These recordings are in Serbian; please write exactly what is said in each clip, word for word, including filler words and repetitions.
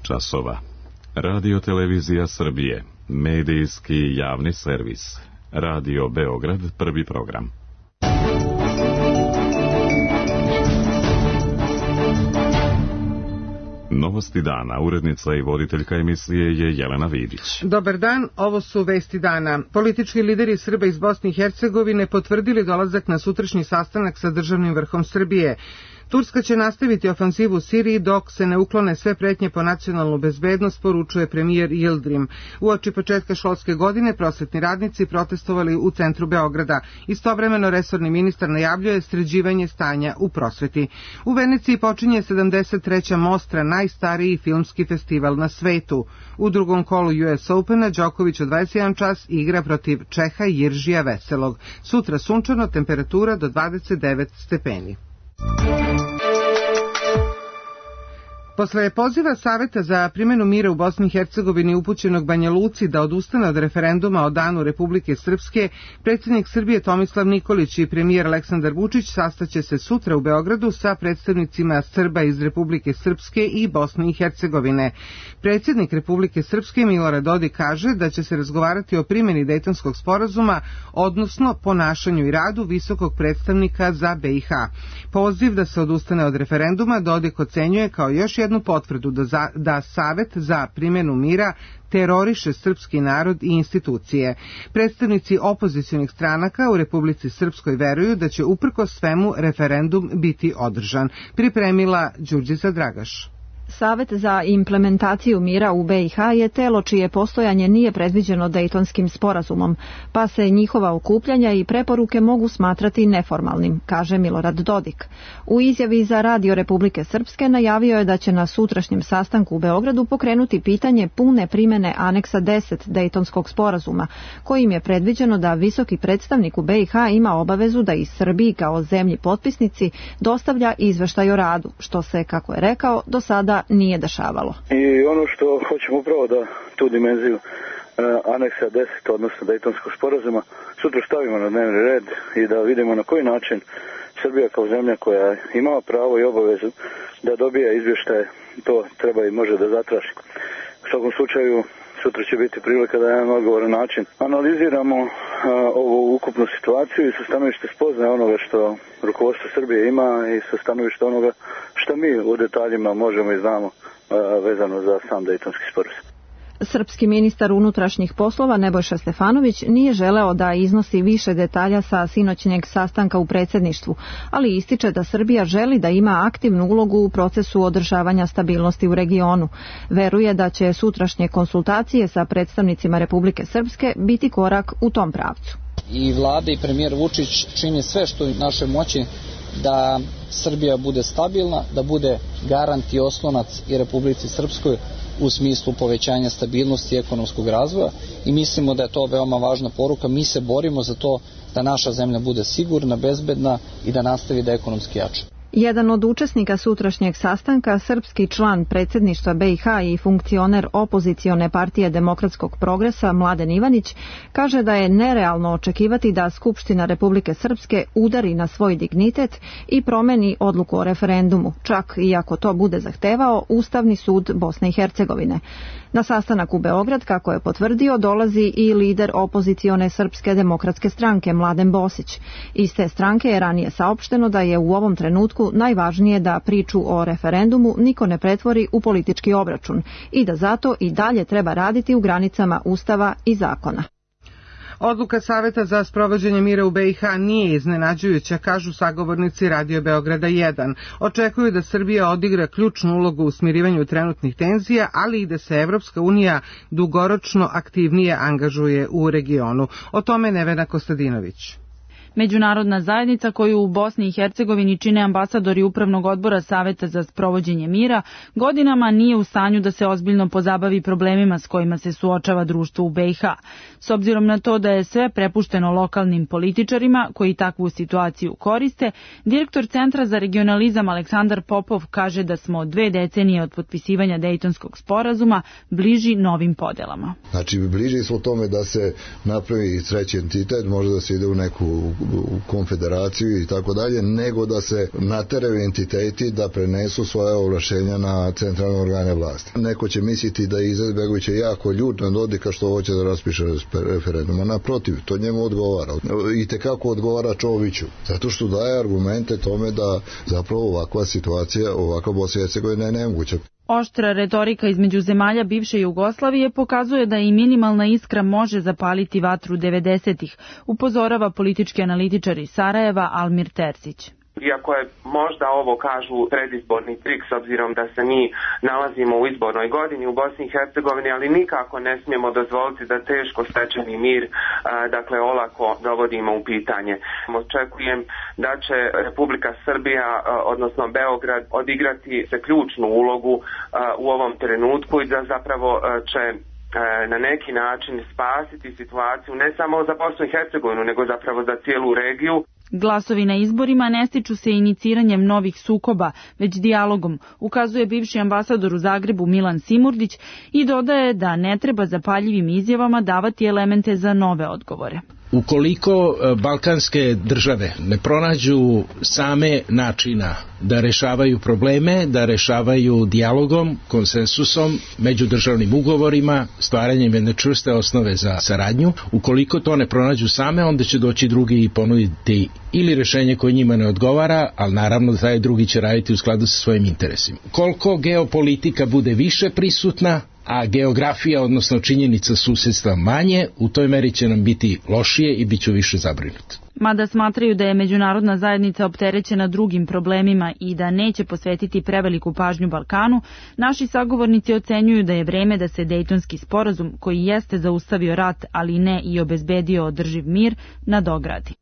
časova. Radio Televizija Srbije, medijski javni servis. Radio Beograd, prvi program. Novosti dana, urednica i voditeljka emisije je Jelena Vidić. Dobar dan, ovo su vesti dana. Politički lideri Srba iz Bosne i Hercegovine potvrdili dolazak na sutrašnji sastanak sa državnim vrhom Srbije. Turska će nastaviti ofanzivu u Siriji dok se ne uklone sve pretnje po nacionalnu bezbednost, poručuje premijer Yildirim. Uoči početka školske godine prosvetni radnici protestovali u centru Beograda. Istovremeno resorni ministar najavljuje sređivanje stanja u prosveti. U Veneciji počinje sedamdeset treća Mostra, najstariji filmski festival na svetu. U drugom kolu U S Opena Đoković u dvadeset jedan čas igra protiv Čeha Jiržija Veselog. Sutra sunčano, temperatura do dvadeset devet stepeni. Posle poziva Saveta za primjenu mira u Bosni i Hercegovini upućenog Banja Luci da odustane od referenduma o danu Republike Srpske, predsjednik Srbije Tomislav Nikolić i premijer Aleksandar Vučić sastaće se sutra u Beogradu sa predstavnicima Srba iz Republike Srpske i Bosne i Hercegovine. Predsjednik Republike Srpske Milorad Dodik kaže da će se razgovarati o primjeni Dejtonskog sporazuma, odnosno ponašanju i radu visokog predstavnika za B i H. Poziv da se odustane od referenduma Dodik ocenjuje kao još jednu jednu potvrdu da, za, da Savet za primjenu mira teroriše srpski narod i institucije. Predstavnici opozicionih stranaka u Republici Srpskoj veruju da će uprkos svemu referendum biti održan. Pripremila Đurđica Dragaš. Savet za implementaciju mira u B i H je telo čije postojanje nije predviđeno Dejtonskim sporazumom, pa se njihova okupljanja i preporuke mogu smatrati neformalnim, kaže Milorad Dodik. U izjavi za Radio Republike Srpske najavio je da će na sutrašnjem sastanku u Beogradu pokrenuti pitanje pune primjene aneksa deset Dejtonskog sporazuma, kojim je predviđeno da visoki predstavnik u B i H ima obavezu da i Srbiji kao zemlji potpisnici dostavlja izveštaj o radu, što se, kako je rekao, do sada nije dešavalo. I ono što hoćemo upravo da tu dimenziju uh, aneksa deset, odnosno Dejtonskog sporazuma, sutra stavimo na dnevni red i da vidimo na koji način Srbija kao zemlja koja ima pravo i obavezu da dobija izvještaje, to treba i može da zatraži. U svakom slučaju, sutra će biti prilika da na jedan odgovoran način analiziramo uh, ovu ukupnu situaciju i sa stanovište spoznaje onoga što rukovodstvo Srbije ima i sa stanovište onoga što mi u detaljima možemo i znamo uh, vezano za sam Dejtonski sporazum. Srpski ministar unutrašnjih poslova Nebojša Stefanović nije želeo da iznosi više detalja sa sinoćnjeg sastanka u predsjedništvu, ali ističe da Srbija želi da ima aktivnu ulogu u procesu održavanja stabilnosti u regionu. Veruje da će sutrašnje konsultacije sa predstavnicima Republike Srpske biti korak u tom pravcu. I vlada i premijer Vučić čini sve što je u našoj moći da Srbija bude stabilna, da bude garant i oslonac i Republici Srpskoj u smislu povećanja stabilnosti i ekonomskog razvoja i mislimo da je to veoma važna poruka. Mi se borimo za to da naša zemlja bude sigurna, bezbedna i da nastavi da ekonomski jača. Jedan od učesnika sutrašnjeg sastanka, srpski član predsjedništva B i H i funkcioner opozicione partije Demokratskog progresa Mladen Ivanić, kaže da je nerealno očekivati da Skupština Republike Srpske udari na svoj dignitet i promeni odluku o referendumu, čak i ako to bude zahtevao Ustavni sud Bosne i Hercegovine. Na sastanak u Beograd, kako je potvrdio, dolazi i lider opozicione Srpske demokratske stranke Mladen Bosić. Iz te stranke je ranije saopšteno da je u ovom trenutku najvažnije da priču o referendumu niko ne pretvori u politički obračun i da zato i dalje treba raditi u granicama Ustava i zakona. Odluka Saveta za sprovođenje mira u B i H nije iznenađujuća, kažu sagovornici Radio Beograda jedan. Očekuju da Srbija odigra ključnu ulogu u smirivanju trenutnih tenzija, ali i da se Evropska unija dugoročno aktivnije angažuje u regionu. O tome Nevena Kostadinović. Međunarodna zajednica koju u Bosni i Hercegovini čine ambasadori Upravnog odbora Saveta za sprovođenje mira, godinama nije u stanju da se ozbiljno pozabavi problemima s kojima se suočava društvo u B i H. S obzirom na to da je sve prepušteno lokalnim političarima koji takvu situaciju koriste, direktor Centra za regionalizam Aleksandar Popov kaže da smo dve decenije od potpisivanja Dejtonskog sporazuma bliži novim podelama. Znači, bliži smo tome da se napravi treći entitet, možda da se ide u neku u konfederaciju i tako dalje, nego da se nateraju entiteti da prenesu svoje ovlašćenja na centralne organe vlasti. Neko će misliti da je Izetbegović jako ljut na Dodika što hoće da raspiše referendum, a naprotiv, to njemu odgovara. I tekako odgovara Čoviću, zato što daje argumente tome da zapravo ovakva situacija, ovakva Bosna i Hercegovina je nemoguća. Oštra retorika između zemalja bivše Jugoslavije pokazuje da i minimalna iskra može zapaliti vatru devedesetih, upozorava politički analitičar iz Sarajeva Almir Terzić. Iako je možda ovo kažu predizborni trik s obzirom da se mi nalazimo u izbornoj godini u Bosni i Hercegovini, ali nikako ne smijemo dozvoliti da teško stečeni mir, dakle, olako dovodimo u pitanje. Očekujem da će Republika Srbija, odnosno Beograd, odigrati se ključnu ulogu u ovom trenutku i da zapravo će na neki način spasiti situaciju ne samo za Bosnu i Hercegovinu, nego zapravo za cijelu regiju. Glasovi na izborima ne stiču se iniciranjem novih sukoba, već dijalogom, ukazuje bivši ambasador u Zagrebu Milan Simurdić i dodaje da ne treba zapaljivim izjavama davati elemente za nove odgovore. Ukoliko balkanske države ne pronađu same načina da rešavaju probleme, da rešavaju dijalogom, konsensusom, međudržavnim ugovorima, stvaranjem jedne čvrste osnove za saradnju, ukoliko to ne pronađu same, onda će doći drugi i ponuditi ili rešenje koje njima ne odgovara, ali naravno da taj drugi će raditi u skladu sa svojim interesima. Koliko geopolitika bude više prisutna, a geografija, odnosno činjenica susedstva manje, u toj meri će nam biti lošije i bit ću više zabrinut. Mada smatraju da je međunarodna zajednica opterećena drugim problemima i da neće posvetiti preveliku pažnju Balkanu, naši sagovornici ocenjuju da je vreme da se Dejtonski sporazum, koji jeste zaustavio rat, ali ne i obezbedio održiv mir, nadogradi.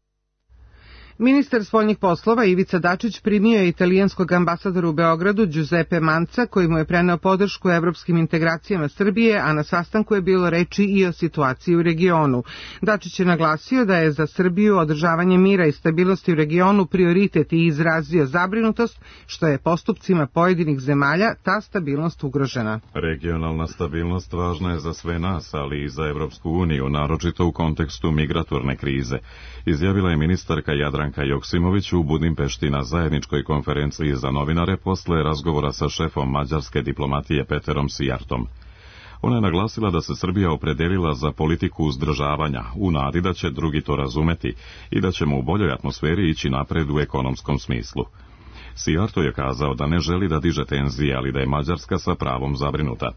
Ministar spoljnih poslova Ivica Dačić primio je italijanskog ambasadora u Beogradu Giuseppe Manca, koji mu je preneo podršku evropskim integracijama Srbije, a na sastanku je bilo reči i o situaciji u regionu. Dačić je naglasio da je za Srbiju održavanje mira i stabilnosti u regionu prioritet i izrazio zabrinutost što je postupcima pojedinih zemalja ta stabilnost ugrožena. Regionalna stabilnost važna je za sve nas, ali i za Evropsku uniju, naročito u kontekstu migratorne krize, izjavila je ministarka Jadranka Joksimović u Budimpešti na zajedničkoj konferenciji za novinare posle razgovora sa šefom mađarske diplomatije Peterom Sijartom. Ona je naglasila da se Srbija opredelila za politiku uzdržavanja, u nadi da će drugi to razumeti i da ćemo u boljoj atmosferi ići napred u ekonomskom smislu. Sijarto je kazao da ne želi da diže tenzije, ali da je Mađarska sa pravom zabrinuta.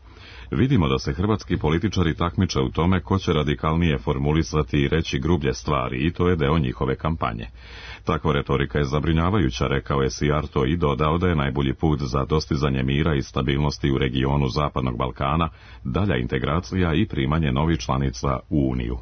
Vidimo da se hrvatski političari takmiče u tome ko će radikalnije formulisati i reći grublje stvari i to je deo njihove kampanje. Takva retorika je zabrinjavajuća, rekao je Sijarto i dodao da je najbolji put za dostizanje mira i stabilnosti u regionu Zapadnog Balkana dalja integracija i primanje novih članica u Uniju.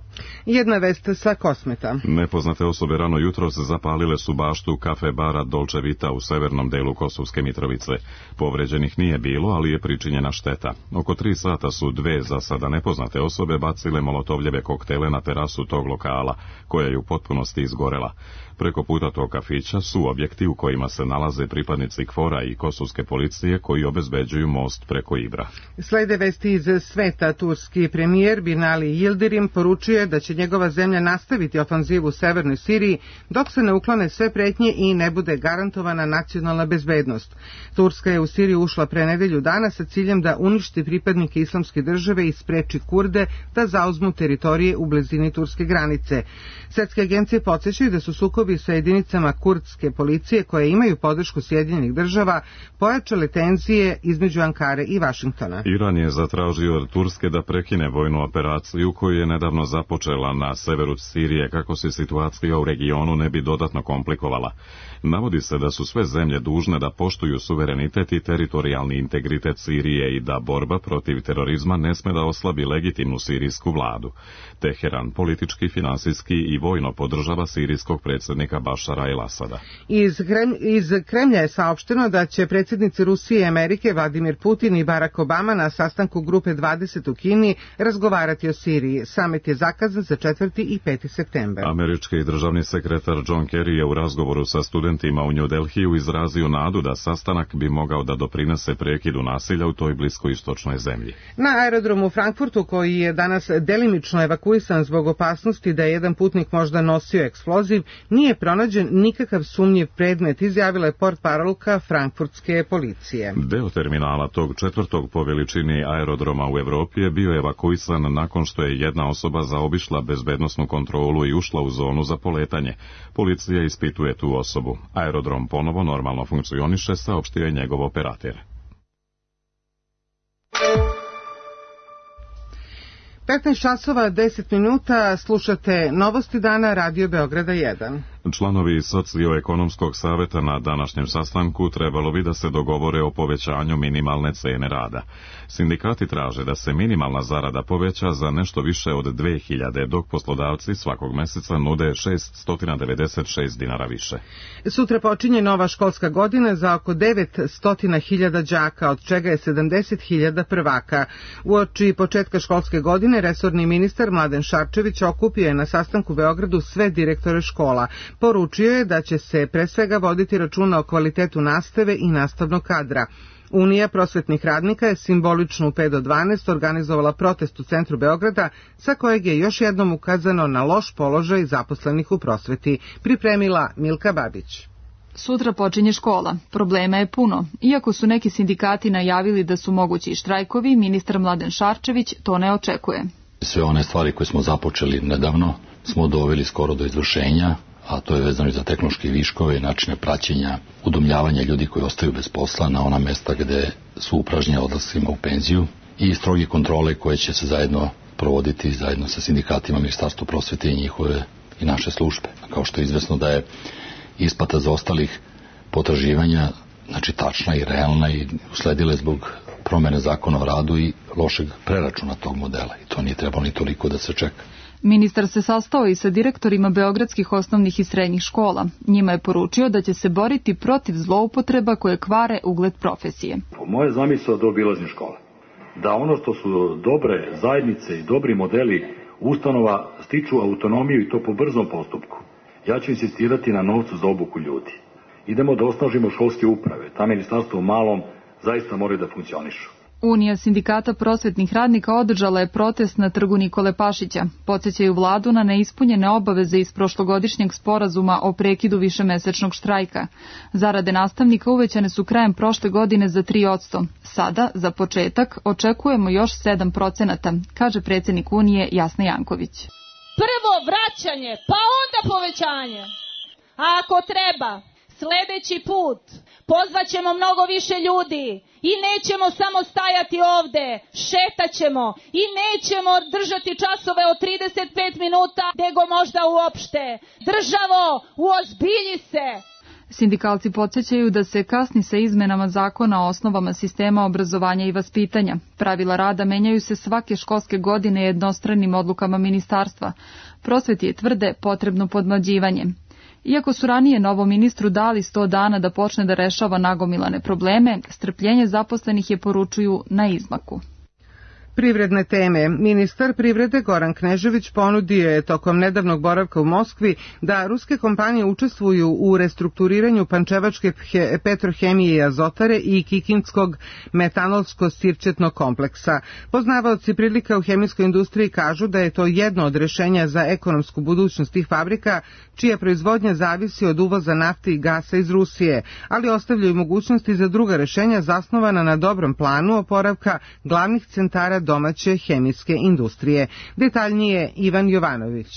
Jedna vest sa Kosmeta. Nepoznate osobe rano jutros zapalile su baštu kafe bara Dolce Vita u severnom delu Kosovske Mitrovice. Povređenih nije bilo, ali je pričinjena šteta. Oko tri sata su dve za sada nepoznate osobe bacile molotovljeve koktele na terasu tog lokala, koja je u potpunosti izgorela. Preko puta tog kafića su objekti u kojima se nalaze pripadnici KFOR-a i kosovske policije koji obezbeđuju most preko Ibra. Slede vesti iz sveta. Turski premijer Binali Yildirim poručuje da će njegova zemlja nastaviti ofanzivu u severnoj Siriji dok se ne uklone sve pretnje i ne bude garantovana nacionalna bezbednost. Turska je u Siriju ušla pre nedelju dana sa ciljem da uništi pripadnike islamske države i spreči Kurde da zauzmu teritorije u blizini turske granice. Svetske agencije podsjećaju da su sukobi sa jedinicama kurdske policije koje imaju podršku Sjedinjenih država pojačale tenzije između Ankare i Vašingtona. Iran je zatražio od Turske da prekine vojnu operaciju koju je nedavno započela na severu Sirije kako se situacija u regionu ne bi dodatno komplikovala. Navodi se da su sve zemlje dužne da poštuju suverenitet i teritorijalni integritet Sirije i da borba protiv terorizma ne sme da oslabi legitimnu sirijsku vladu. Teheran politički, finansijski i vojno podržava sirijskog predsjednika Bašara el-Asada. Iz, Krem, iz Kremlja je saopšteno da će predsjednici Rusije i Amerike Vladimir Putin i Barack Obama na sastanku Grupe dvadeset u Kini razgovarati o Siriji. Samit je zakazan za četvrti i peti septembar. Američki državni sekretar John Kerry je u razgovoru sa studentima u New Delhiju izrazio izrazio nadu da sastanak bi mogao da doprinese prekidu nasilja u toj bliskoistočnoj zemlji. Na aerodromu u Frankfurtu, koji je danas delimično evakuisan zbog opasnosti da je jedan putnik možda nosio eksploziv, nije pronađen nikakav sumnjiv predmet, izjavila je portparolka frankfurtske policije. Deo terminala tog četvrtog po veličini aerodroma u Evropi je bio evakuisan nakon što je jedna osoba zaobišla bezbednosnu kontrolu i ušla u zonu za poletanje. Policija ispituje tu osobu. Aerodrom ponovo normalno funkcioniše, saopštio je njegov operater. petnaest časova deset minuta, slušate Novosti dana, Radio Beograda jedan. Članovi Socioekonomskog saveta na današnjem sastanku trebalo bi da se dogovore o povećanju minimalne cene rada. Sindikati traže da se minimalna zarada poveća za nešto više od dve hiljade, dok poslodavci svakog meseca nude šessto devedeset šest dinara više. Sutra počinje nova školska godina za oko devetsto hiljada đaka, od čega je sedamdeset hiljada prvaka. Uoči početka školske godine resorni ministar Mladen Šarčević okupio je na sastanku u Beogradu sve direktore škola. Poručio je da će se pre svega voditi računa o kvalitetu nastave i nastavnog kadra. Unija prosvetnih radnika je simbolično u pet do dvanaest organizovala protest u centru Beograda, sa kojeg je još jednom ukazano na loš položaj zaposlenih u prosveti. Pripremila Milka Babić. Sutra počinje škola. Problema je puno. Iako su neki sindikati najavili da su mogući štrajkovi, ministar Mladen Šarčević to ne očekuje. Sve one stvari koje smo započeli nedavno smo doveli skoro do izvršenja, a to je vezano i za tehnološke viškove i načine praćenja, udomljavanja ljudi koji ostaju bez posla na ona mesta gde su upražnjeni odlascima u penziju i stroge kontrole koje će se zajedno provoditi zajedno sa sindikatima, Ministarstvo prosvete i njihove i naše službe. Kao što je izvesno da je isplata za ostalih potraživanja, znači tačna i realna i usledile zbog promene zakona o radu i lošeg preračuna tog modela. I to nije trebalo ni toliko da se čeka. Ministar se sastao i sa direktorima beogradskih osnovnih i srednjih škola. Njima je poručio da će se boriti protiv zloupotreba koje kvare ugled profesije. Moje zamisao do obilazni škola. Da ono što su dobre zajednice i dobri modeli ustanova stiču autonomiju i to po brzom postupku. Ja ću insistirati na novcu za obuku ljudi. Idemo da osnažimo školske uprave. Ta ministarstvo u malom zaista moraju da funkcionišu. Unija sindikata prosvetnih radnika održala je protest na trgu Nikole Pašića. Podsećaju vladu na neispunjene obaveze iz prošlogodišnjeg sporazuma o prekidu višemesečnog štrajka. Zarade nastavnika uvećane su krajem prošle godine za tri posto. Sada, za početak, očekujemo još sedam procenata, kaže predsjednik Unije Jasna Janković. Prvo vraćanje, pa onda povećanje. A ako treba, sljedeći put pozvaćemo mnogo više ljudi i nećemo samo stajati ovde, šetat ćemo i nećemo držati časove od trideset pet minuta, nego možda uopšte. Državo, uozbilji se! Sindikalci podsjećaju da se kasni sa izmenama zakona o osnovama sistema obrazovanja i vaspitanja. Pravila rada menjaju se svake školske godine jednostranim odlukama ministarstva. Prosveti je tvrde potrebno podmlađivanje. Iako su ranije novom ministru dali sto dana da počne da rešava nagomilane probleme, strpljenje zaposlenih je, poručuju, na izmaku. Privredne teme. Ministar privrede Goran Knežević ponudio je tokom nedavnog boravka u Moskvi da ruske kompanije učestvuju u restrukturiranju Pančevačke petrohemije i azotare i Kikindskog metanolsko-sirćetnog kompleksa. Poznavaoci prilika u hemijskoj industriji kažu da je to jedno od rešenja za ekonomsku budućnost tih fabrika, čija proizvodnja zavisi od uvoza nafte i gasa iz Rusije, ali ostavljaju mogućnosti za druga rešenja zasnovana na dobrom planu oporavka glavnih centara domaće hemijske industrije. Detaljnije Ivan Jovanović.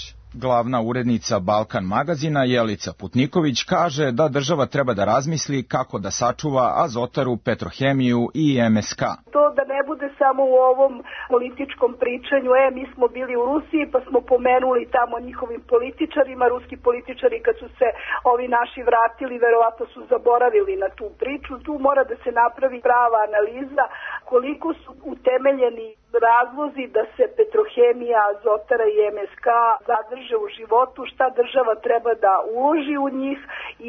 Glavna urednica Balkan magazina Jelica Putniković kaže da država treba da razmisli kako da sačuva azotaru, petrohemiju i em es ka. To da ne bude samo u ovom političkom pričanju, e, mi smo bili u Rusiji pa smo pomenuli tamo njihovim političarima, ruski političari kad su se ovi naši vratili, verovatno su zaboravili na tu priču. Tu mora da se napravi prava analiza koliko su utemeljeni razlozi da se petrohemija, azotara i em es ka zadrže u životu, šta država treba da uloži u njih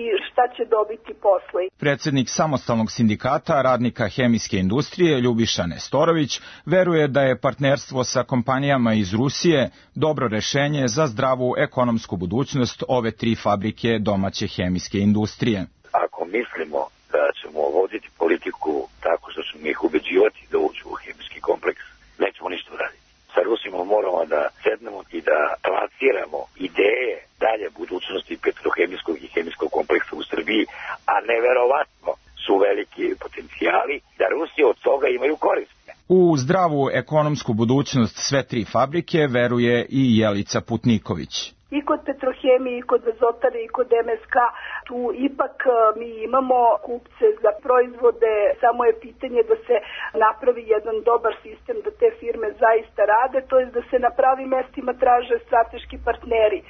i šta će dobiti posle. Predsednik samostalnog sindikata radnika hemijske industrije Ljubiša Nestorović veruje da je partnerstvo sa kompanijama iz Rusije dobro rešenje za zdravu ekonomsku budućnost ove tri fabrike domaće hemijske industrije. ako mislimo da ćemo voditi politiku tako što ćemo ih ubeđivati da uđu u hemijski kompleks, nećemo ništa uraditi. Sa Rusima moramo da sednemo i da lansiramo ideje dalje budućnosti petrohemijskog i hemijskog kompleksa u Srbiji, a neverovatno su veliki potencijali da Rusi od toga imaju korist. U zdravu ekonomsku budućnost sve tri fabrike veruje i Jelica Putniković. I kod Petrohemije, i kod Azotare, i kod em es ka, tu ipak mi imamo kupce za proizvode, samo je pitanje da se napravi jedan dobar sistem da te firme zaista rade, to je da se na pravim mestima traže strateški partneri.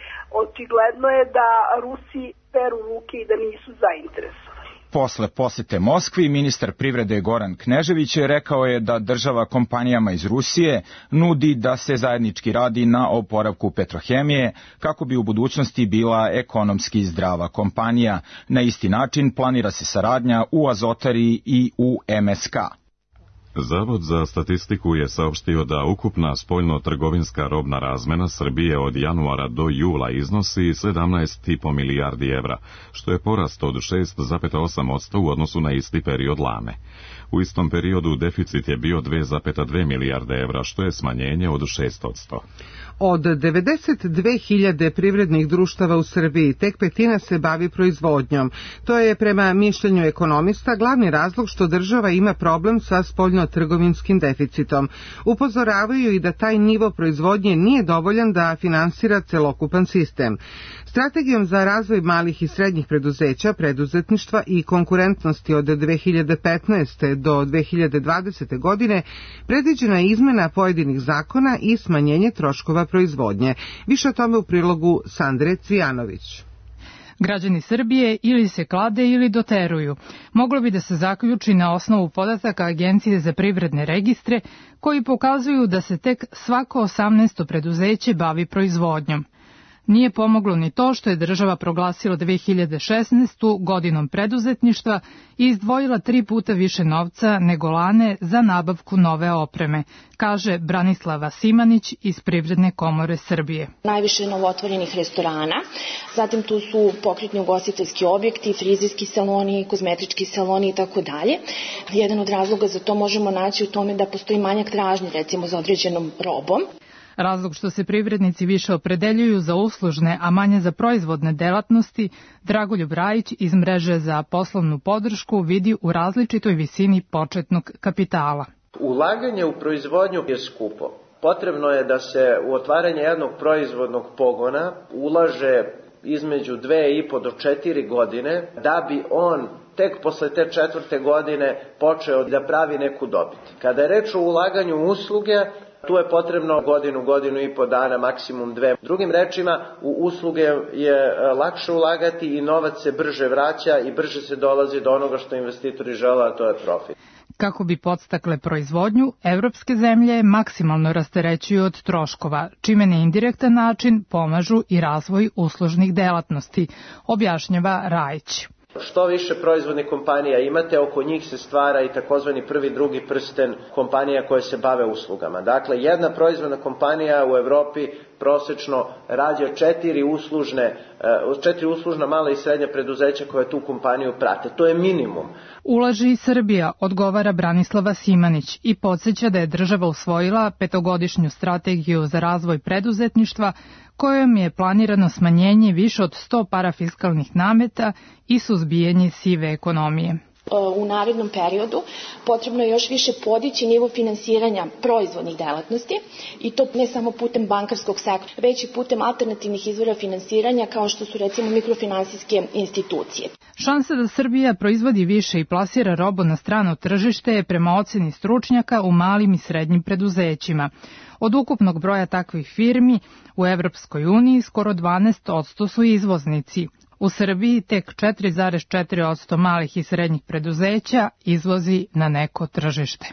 Očigledno je da Rusi peru ruke i da nisu zainteresovani. Posle posete Moskvi, ministar privrede Goran Knežević je rekao je da država kompanijama iz Rusije nudi da se zajednički radi na oporavku Petrohemije kako bi u budućnosti bila ekonomski zdrava kompanija. Na isti način planira se saradnja u Azotari i u em es ka. Zavod za statistiku je saopštio da ukupna spoljno-trgovinska robna razmena Srbije od januara do jula iznosi sedamnaest i po milijardi evra, što je porast od šest zarez osam posto u odnosu na isti period lane. U istom periodu deficit je bio dve zarez dve milijarde evra, što je smanjenje od šest posto. Od devedeset dve hiljade privrednih društava u Srbiji tek petina se bavi proizvodnjom. To je prema mišljenju ekonomista glavni razlog što država ima problem sa spoljno-trgovinskim deficitom. Upozoravaju i da taj nivo proizvodnje nije dovoljan da finansira celokupan sistem. Strategijom za razvoj malih i srednjih preduzeća, preduzetništva i konkurentnosti od dve hiljade petnaeste do dve hiljade dvadesete godine predviđena je izmena pojedinih zakona i smanjenje troškova proizvodnje. Više o tome u prilogu Sandre Cvijanović. Građani Srbije ili se klade ili doteruju. Moglo bi da se zaključi na osnovu podataka Agencije za privredne registre koji pokazuju da se tek svako osamnaesto preduzeće bavi proizvodnjom. Nije pomoglo ni to što je država proglasila dve hiljade šesnaestu. godinom preduzetništva i izdvojila tri puta više novca nego lane za nabavku nove opreme, kaže Branislava Simanić iz Privredne komore Srbije. Najviše novootvorenih restorana, zatim tu su pokretni ugostiteljski objekti, frizerski saloni, kozmetički saloni i tako dalje. Jedan od razloga za to možemo naći u tome da postoji manjak tražnje, recimo za određenom robom. Razlog što se privrednici više opredeljuju za uslužne, a manje za proizvodne delatnosti, Dragoljub Rajić iz mreže za poslovnu podršku vidi u različitoj visini početnog kapitala. Ulaganje u proizvodnju je skupo. Potrebno je da se u otvaranje jednog proizvodnog pogona ulaže između dve i po do četiri godine, da bi on tek posle te četvrte godine počeo da pravi neku dobit. Kada je reč o ulaganju usluge, tu je potrebno godinu, godinu i po dana, maksimum dve. Drugim rečima, u usluge je lakše ulagati i novac se brže vraća i brže se dolazi do onoga što investitori žele, a to je profit. Kako bi podstakle proizvodnju, evropske zemlje maksimalno rasterećuju od troškova, čime na indirektan način pomažu i razvoj uslužnih delatnosti, objašnjava Rajić. Što više proizvodnih kompanija imate, oko njih se stvara i takozvani prvi, drugi prsten kompanija koje se bave uslugama. Dakle, jedna proizvodna kompanija u Evropi prosečno rađa četiri uslužne, četiri uslužna mala i srednja preduzeća koje tu kompaniju prate. To je minimum. Ulaže i Srbija, odgovara Branislava Simanić i podsjeća da je država usvojila petogodišnju strategiju za razvoj preduzetništva kojom je planirano smanjenje više od sto parafiskalnih nameta i suzbijanje sive ekonomije. U narednom periodu potrebno je još više podići nivo finansiranja proizvodnih delatnosti i to ne samo putem bankarskog sektora, već i putem alternativnih izvora finansiranja kao što su recimo mikrofinansijske institucije. Šansa da Srbija proizvodi više i plasira robu na strano tržište je prema oceni stručnjaka u malim i srednjim preduzećima. Od ukupnog broja takvih firmi u Evropskoj uniji skoro dvanaest posto su izvoznici. U Srbiji tek četiri zarez četiri posto malih i srednjih preduzeća izvozi na neko tržište.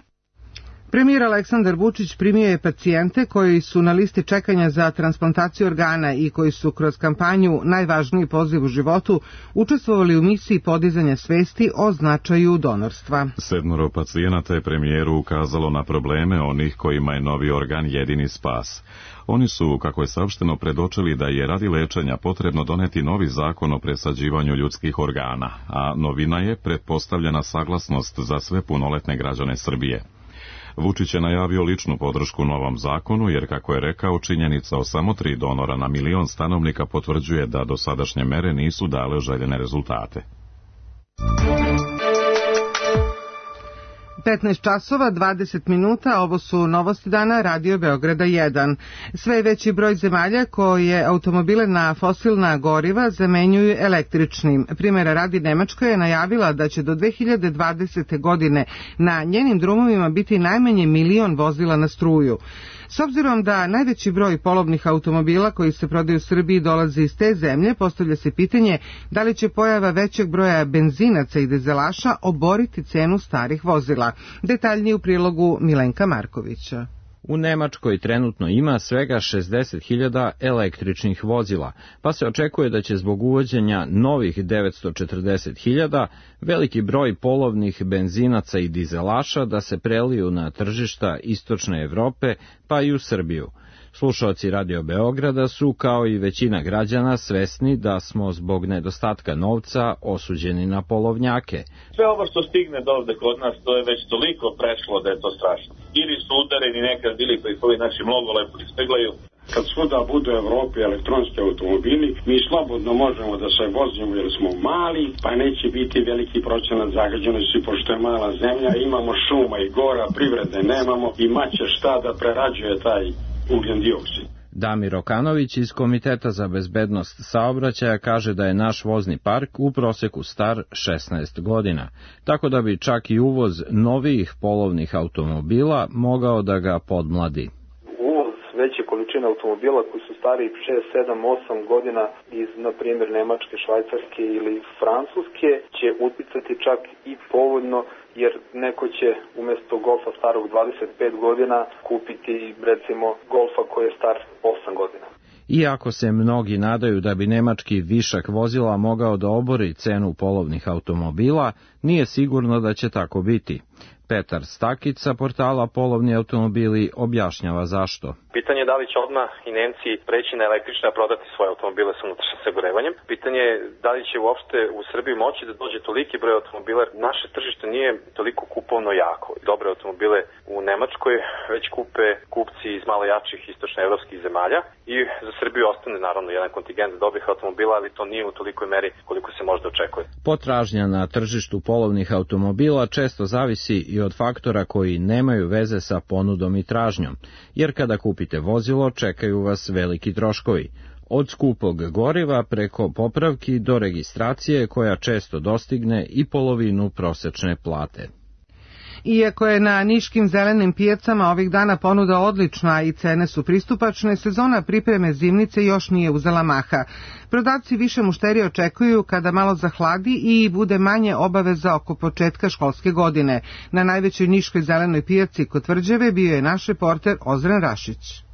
Premijer Aleksandar Vučić primio je pacijente koji su na listi čekanja za transplantaciju organa i koji su kroz kampanju Najvažniji poziv u životu učestvovali u misiji podizanja svesti o značaju donorstva. Sedmoro pacijenata je premijeru ukazalo na probleme onih kojima je novi organ jedini spas. Oni su, kako je saopšteno, predočili da je radi lečenja potrebno doneti novi zakon o presađivanju ljudskih organa, a novina je pretpostavljena saglasnost za sve punoletne građane Srbije. Vučić je najavio ličnu podršku novom zakonu, jer, kako je rekao, činjenica o samo tri donora na milion stanovnika potvrđuje da dosadašnje mere nisu dale željene rezultate. petnaest časova dvadeset minuta, ovo su novosti dana Radio Beograda jedan. Sve veći broj zemalja koje automobile na fosilna goriva zamenjuju električnim. Primjera radi, Nemačka je najavila da će do dve hiljade dvadesete. godine na njenim drumovima biti najmanje milion vozila na struju. S obzirom da najveći broj polovnih automobila koji se prodaju u Srbiji dolazi iz te zemlje, postavlja se pitanje da li će pojava većeg broja benzinaca i dizelaša oboriti cenu starih vozila. Detaljnije u prilogu Milenka Markovića. U Nemačkoj trenutno ima svega šezdeset hiljada električnih vozila, pa se očekuje da će zbog uvođenja novih devetsto četrdeset hiljada veliki broj polovnih benzinaca i dizelaša da se preliju na tržišta istočne Evrope, pa i u Srbiju. Slušaoci Radio Beograda su, kao i većina građana, svesni da smo zbog nedostatka novca osuđeni na polovnjake. Sve ovo što stigne do ovde kod nas, to je već toliko prešlo da je to strašno. Ili su udareni nekad bili koji koji naši mnogo lepo ispeglaju. Kad svuda budu u Evropi elektronski automobili, mi slobodno možemo da se vozimo jer smo mali, pa neće biti veliki procenat zagađenosti, pošto je mala zemlja, imamo šuma i gora, privrede nemamo i maće šta da prerađuje taj ugljen dioksid. Damir Okanović iz Komiteta za bezbednost saobraćaja kaže da je naš vozni park u proseku star šesnaest godina, tako da bi čak i uvoz novijih polovnih automobila mogao da ga podmladi. Uvoz veće količine automobila koji su stariji šest, sedam, osam godina iz, na primjer, Nemačke, Švajcarske ili Francuske će uticati čak i povoljno, jer neko će umjesto Golfa starog dvadeset pet godina kupiti recimo Golfa koji je star osam godina. Iako se mnogi nadaju da bi nemački višak vozila mogao da obori cenu polovnih automobila, nije sigurno da će tako biti. Petar Stakić sa portala Polovni automobili objašnjava zašto. Pitanje je da li će odmah i Nemci preći na električne, a prodati svoje automobile sa unutrašnjim sagorevanjem. Pitanje je da li će uopšte u Srbiji moći da dođe toliki broj automobila. Naše tržište nije toliko kupovno jako. Dobre automobile u Nemačkoj već kupe kupci iz malo jačih istočnoevropskih zemalja i za Srbiju ostane naravno jedan kontingent dobrih automobila, ali to nije u tolikoj meri koliko se možda očekuje. Potražnja na tržištu polovnih automobila često zavisi i od faktora koji nemaju veze sa ponudom i tražnjom, jer kada kupite vozilo čekaju vas veliki troškovi, od skupog goriva preko popravki do registracije koja često dostigne i polovinu prosečne plate. Iako je na niškim zelenim pijacama ovih dana ponuda odlična i cene su pristupačne, sezona pripreme zimnice još nije uzela maha. Prodavci više mušterije očekuju kada malo zahladi i bude manje obaveza oko početka školske godine. Na najvećoj niškoj zelenoj pijaci kod Tvrđave bio je naš reporter Ozren Rašić.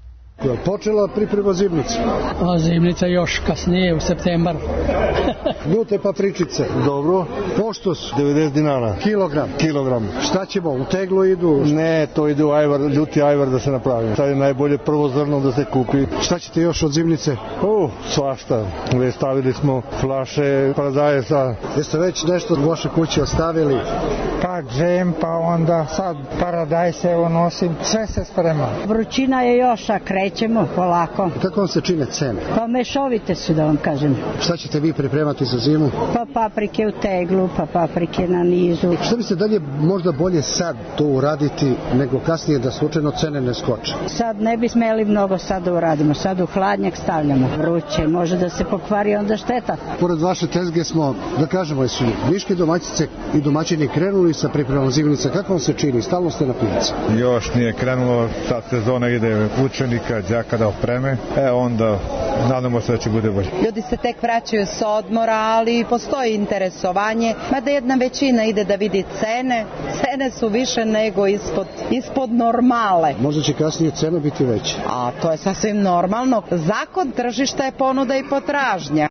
Počela priprema zimnice? A zimnica još kasnije, u septembar. Ljute papričice. Dobro. Poštos? devedeset dinara. Kilogram? Kilogram. Šta ćemo? U teglu idu? Ne, to ide u ajvar, ljuti ajvar da se napravi. Sad je najbolje prvo zrno da se kupi. Šta ćete još od zimnice? O, svašta. Već stavili smo flaše paradajsa. Jeste već nešto od vaše kuće ostavili? Pa džem, pa onda sad paradajse evo nosim. Sve se sprema. Vrućina je još, a krećemo polako. Kako vam se čine cene? Pa mešovite su, da vam kažem. Šta ćete vi pripremati za zimu? Pa paprike u teglu, pa paprike na nizu. Šta mislite, da li je možda bolje sad to uraditi nego kasnije da slučajno cene ne skoče? Sad ne bi smeli mnogo sad da uradimo. Sad u hladnjak stavljamo. Vruće, može da se pokvari, onda šteta. Pored vaše tezge smo, da kažemo, su niške domaćice i domaćini krenuli sa pripremom zimnica. Kako vam se čini? Stalno ste na pijaci? Još nije krenulo, sad sezona ide učenika dečaka, đaka da opreme, e onda nadamo se da će bude bolje. Ljudi se tek vraćaju sa odmora, ali postoji interesovanje, mada jedna većina ide da vidi cene. Cene su više nego ispod, ispod normale. Možda će kasnije cena biti veća. A to je sasvim normalno. Zakon tržišta je ponuda i potražnja.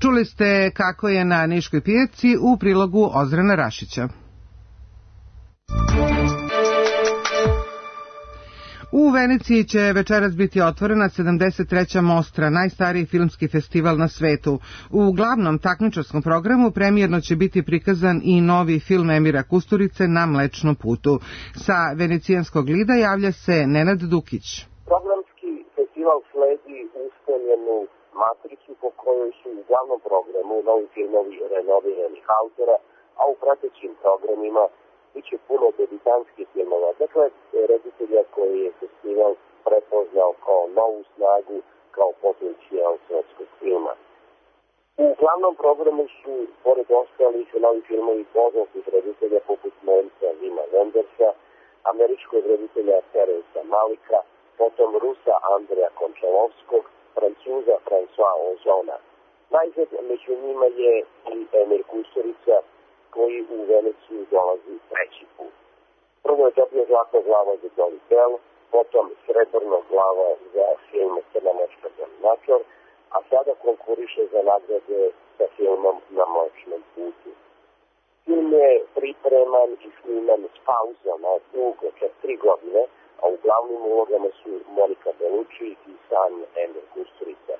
Čuli ste kako je na Niškoj pijaci u prilogu Ozrena Rašića. U Veneciji će večeras biti otvorena sedamdeset treća Mostra, najstariji filmski festival na svetu. U glavnom takmičarskom programu premijerno će biti prikazan i novi film Emira Kusturice Na Mlečnom putu. Sa venecijanskog lida javlja se Nenad Dukić. Programski festival sledi ustaljenu matricu po kojoj su u glavnom programu novi filmovi renoviranih autora, a u pratećim programima biće puno debitanskih filmova, dakle reditelja koji je festival prepoznao kao novu snagu, kao potencijal svetskog filma. U glavnom programu su, pored ostalih, novi filmovi poznatih reditelja poput Nemca Wima Wendersa, američkog reditelja Teresa Malika, potom Rusa Andreja Končalovskog, Francuza François Ozona. Najzad među njima je i Emir Kusturica, koji u Veneciju dolazi treći put. Prvo je dobio zlatna glava za Dolly Bell, potom srebrna glava za film Crnomoška Dominator, a sada konkuriše za nagrade sa filmom Na Mlečnom putu. Film je pripreman i sniman s pauzama dugo, čak tri godine, a u glavnim ulogama su Monika Bellucci i sam Emir Kusturica.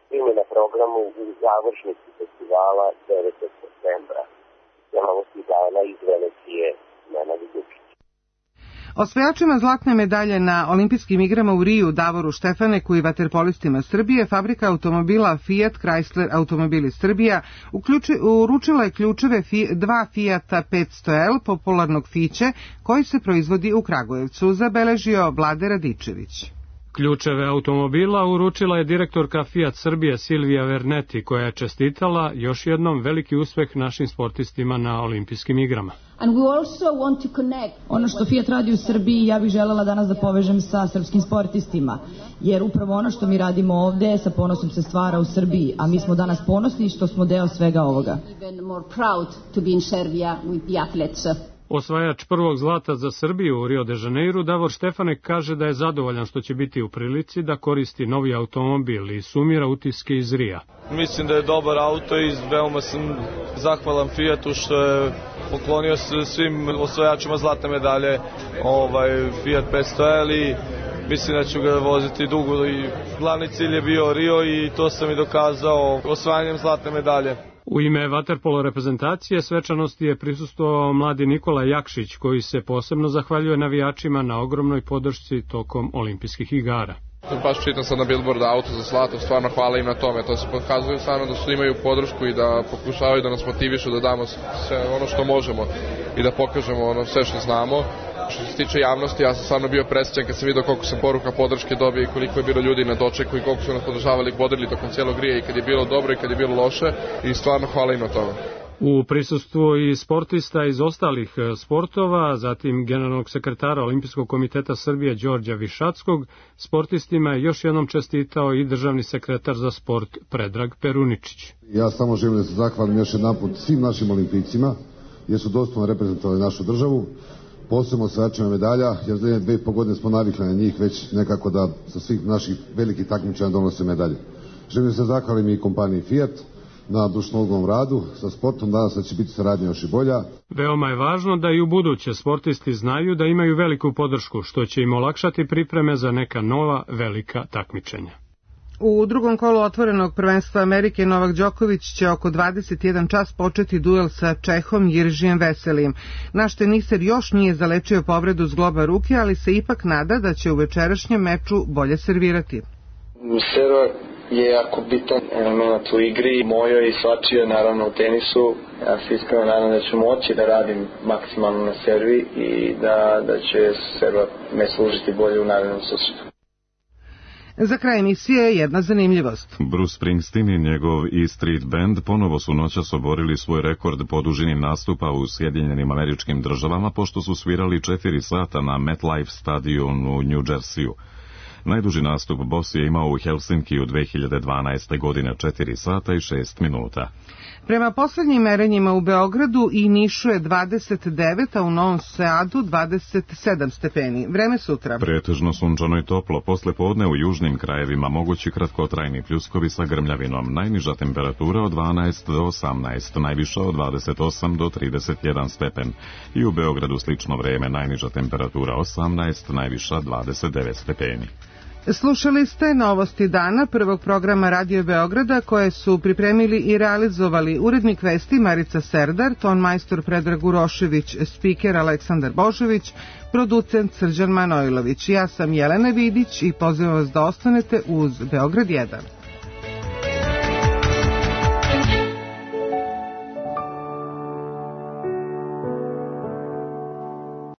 Film je na programu u završnici festivala devetog septembra. Novosti dana iz Venecije, Nenad Dukić. Osvajačima zlatne medalje na olimpijskim igrama u Riju Davoru Štefaniku i vaterpolistima Srbije fabrika automobila Fiat Chrysler Automobili Srbija uključi, uručila je ključeve fi, dva Fiata petsto L popularnog Fiće koji se proizvodi u Kragujevcu, zabeležio Vlade Radičević. Ključeve automobila uručila je direktorka Fiat Srbije Silvija Verneti, koja je čestitala još jednom veliki uspeh našim sportistima na olimpijskim igrama. Ono što Fiat radi u Srbiji, ja bih želela danas da povežem sa srpskim sportistima, jer upravo ono što mi radimo ovde sa ponosom se stvara u Srbiji, a mi smo danas ponosni što smo deo svega ovoga. Osvajač prvog zlata za Srbiju u Rio de Janeiru, Davor Štefanek, kaže da je zadovoljan što će biti u prilici da koristi novi automobil i sumira utiske iz Rija. Mislim da je dobar auto i veoma sam zahvalan Fiatu što je poklonio se svim osvajačima zlatne medalje ovaj, Fiat petsto L i mislim da ću ga voziti dugo i glavni cilj je bio Rio i to sam i dokazao osvajanjem zlatne medalje. U ime vaterpolo reprezentacije svečanosti je prisustvovao mladi Nikola Jakšić, koji se posebno zahvaljuje navijačima na ogromnoj podršci tokom olimpijskih igara. Baš čitam sad na billboardu auto za zlato, stvarno hvala im na tome, to se pokazuje stvarno da su imaju podršku i da pokušavaju da nas motivišu da damo sve ono što možemo i da pokažemo ono sve što znamo. Što se tiče javnosti, ja sam stvarno bio presrećan kad sam vidio koliko sam poruka podrške dobio i koliko je bilo ljudi na dočeku i koliko su nas podržavali i bodrili tokom cijelog Rija i kad je bilo dobro i kad je bilo loše i stvarno hvala im na tome. U prisustvu i sportista iz ostalih sportova, zatim generalnog sekretara Olimpijskog komiteta Srbije Đorđa Višackog, sportistima je još jednom čestitao i državni sekretar za sport Predrag Peruničić. Ja samo želim da se zahvalim još jedan put svim našim olimpijcima, jer su dostojno reprezentovali našu državu, posebno osvajačima medalja, jer za dve i po godine smo navikli na njih već nekako da sa svih naših velikih takmičenja donose medalje. Želim da se zahvalim i kompaniji Fiat na dušnovodnom radu sa sportom, danas da će biti saradnja još i bolja. Veoma je važno da i u buduće sportisti znaju da imaju veliku podršku, što će im olakšati pripreme za neka nova velika takmičenja. U drugom kolu otvorenog prvenstva Amerike Novak Đoković će oko dvadeset jedan čas početi duel sa Čehom Jiržijem Veselijem. Naš teniser još nije zalečio povredu zgloba ruke, ali se ipak nada da će u večerašnjem meču bolje servirati. Servar je jako bitan element u igri, mojoj i svačijoj naravno u tenisu. Ja se iskreno nadam da ću moći da radim maksimalno na servi i da, da će serva me služiti bolje u narednom susretu. Za kraj emisije jedna zanimljivost. Bruce Springsteen i njegov E Street Band ponovo su noćas oborili svoj rekord po dužini nastupa u Sjedinjenim Američkim Državama, pošto su svirali četiri sata na MetLife stadionu u New Jersey-u. Najduži nastup Boss je imao u Helsinki u dve hiljade dvanaeste. godine četiri sata i šest minuta. Prema poslednjim merenjima u Beogradu i Nišu je dvadeset devet, a u Novom Sadu dvadeset sedam stepeni. Vreme sutra. Pretežno sunčano i toplo. Posle podne u južnim krajevima mogući kratkotrajni pljuskovi sa grmljavinom. Najniža temperatura od dvanaest do osamnaest, najviša od dvadeset osam do trideset jedan stepen. I u Beogradu slično vreme, najniža temperatura osamnaest, najviša dvadeset devet stepeni. Slušali ste novosti dana prvog programa Radio Beograda koje su pripremili i realizovali urednik vesti Marica Serdar, tonmajstor Predrag Urošević, spiker Aleksandar Božović, producent Srđan Manojlović. Ja sam Jelena Vidić i pozivam vas da ostanete uz Beograd jedan.